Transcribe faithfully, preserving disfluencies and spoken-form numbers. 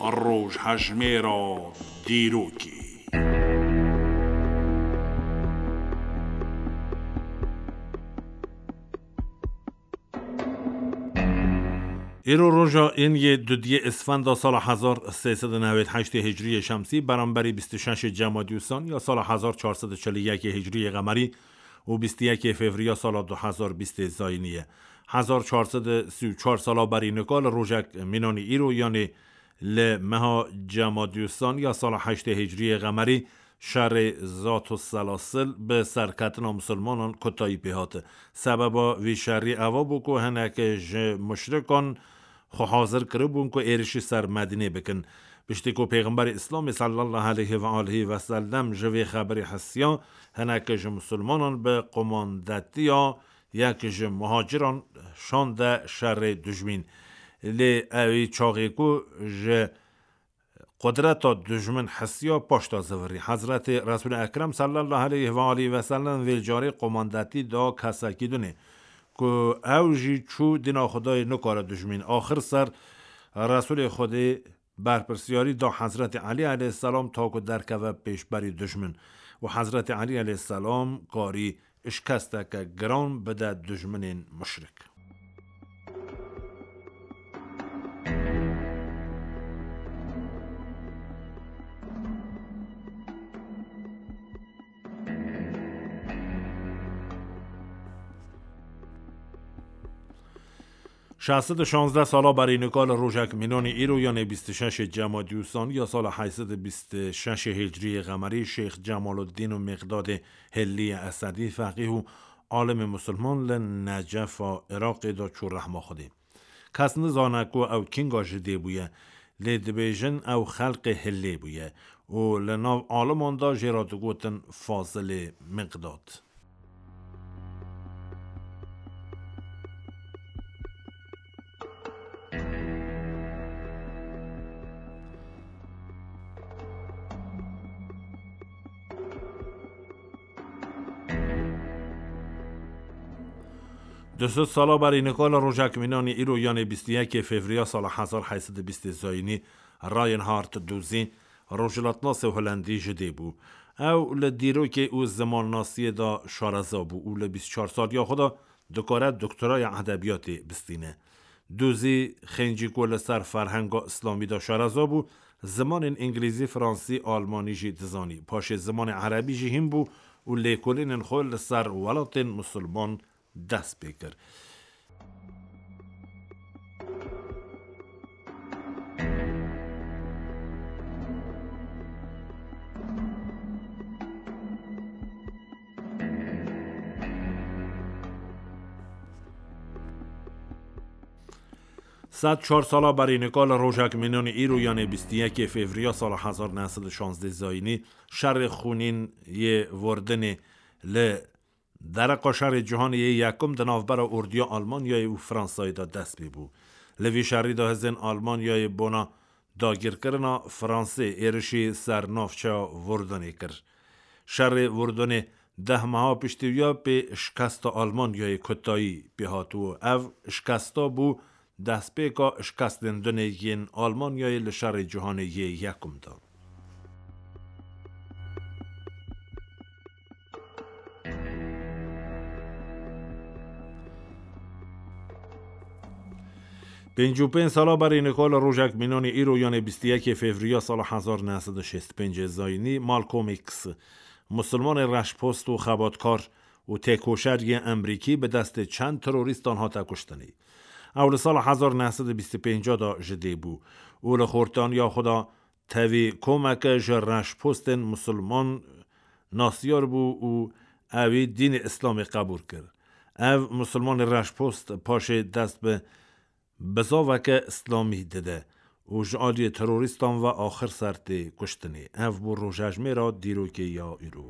Rojhejmêra dîrokê. Îro roja ên yê dudiyê Isfenda sala hezar sê sed û newêd heştê Hicriyê Şemsî, beramberî bîst û şeşê Cemadî Usan ya sala hezar çar sed û çil û yekê Hicriyê Qemerî û bîst û yekê Fevriya sala du hezar bîstê Zayînî ye. Hezar çar sed û sî û çar sala berî nika li rojek mînanî îro, yanê li meha Cemadî Usan ya sala heştê Hicriyê Qemerî, şerê Zat û Selasil bi serketina misilmanan kotayî pê hat. Sebeba vî şerî eva bû ku hinek ji muşrikan xwe hazir kiribûn ku êrişî ser Medînê bikin. Piştî ku Pêxemberê Îslamê sallallahu aleyhi ve alihi ve sellem ji vê xeberê hesiya, hinek ji misilmanan bi qomandetiya yek ji muhaciran şande şerê dijmîn. Lê ewî çaxê ku ji qudreta dijmin hesiya, paşta zivirî. Hezretê Resûlê Ekrem sallallahu aleyhi ve alihi ve sellem vê carê qomandetî da kesekî dinê ku ew jî çû dîna Xwedayê nikare dijmîn. Axir ser Resûlê Xwedê berpirsiyarî da Hezretê Elî aleyhisselam ta ku derkeve pêşberî dijmin û Hezretê Elî aleyhisselam karî şikesteke giran bide dijminên muşrik. Şeş sed û şazdeh sala berî nika li rojek mînanî îro, yanê bîst û şeşê Cemadî Usan ya sala heyt sed û bîst û şeşê Hicriyê Qemerî, Şêx Cemaluddîn û Miqdadê Hilliyê Esedî, feqîh û alimê musulman li Necefa Iraqê de çû rehma Xwedê. Kes nizane ku ew kînga ji dê bûye, lê dibêjin ew xelqê Hillê bûye û li nav aliman de jê re digotin Fazilê Miqdad. Du sed sala berî nika li rojek mînanî îro, yanê bîst û yekê Fevriya sala hezar heyt sed û bîstê Zayînî, Reinhard Dûzî, rojhilatnasê Holendî ji dê bû. Ew li dîrokê û zimannasiyê de şareza bû û li bîst û çar saliya xwe de dikare doktoraya edebiyatê bistîne. Dûzî xêncî ku li ser ferhenga îslamî de şareza bû, zimanên îngilîzî, fransî, almanî jî dizanî. Paşê zimanê erebî jî hîn bû û lêkolînên xwe li ser welatên misilman dest pê kir. Sed çar sala berî nika li rojek mînanî îro, yanê bîst û yekê Fevriya sala hezar neh sed û şazdeh Zayînî, şerê xûnîn yê Vordinê li dereqa şerê cîhanê yê yekum di navbera orduya Almanyayê û Fransayê de dest pê bû. Li vî şerî de hêzên Almanyayê bona dagirkirina Fransê êrişî ser navçeya Vordinê kir. Şerê Vordinê deh meha piştî wiya pê şikesta Almanyayê kotayî pê hat û ev şikesta bû destpêka şikestên dinê yên Almanyayê li şerê cîhanê yê yekum de. Pêncî û pênc sala berî nika li rojek mînanî îro, yanê bîst û yekê Fevriya sala hezar neh sed û şêst û pêncê Zayînî, Malcolm X, musulmanê reşpost û xebatkar û têkoşer yê Emrîkî bi destê çend terorîstan hate kuştinê. Ew li sala hezar neh sed û bîst û pênc de ji dê bû û li xortaniya xwe de tevî komeke ji reşpostên misilman nasyar bû û ewî dînê Îslamê qebûl kir. Ev misilmanê reşpost paşê dest bi bizaveke Îslamî dide û ji aliyê terorîstan ve axir ser tê kuştinê. Ev bû rojejmêra dîrokê ya îro.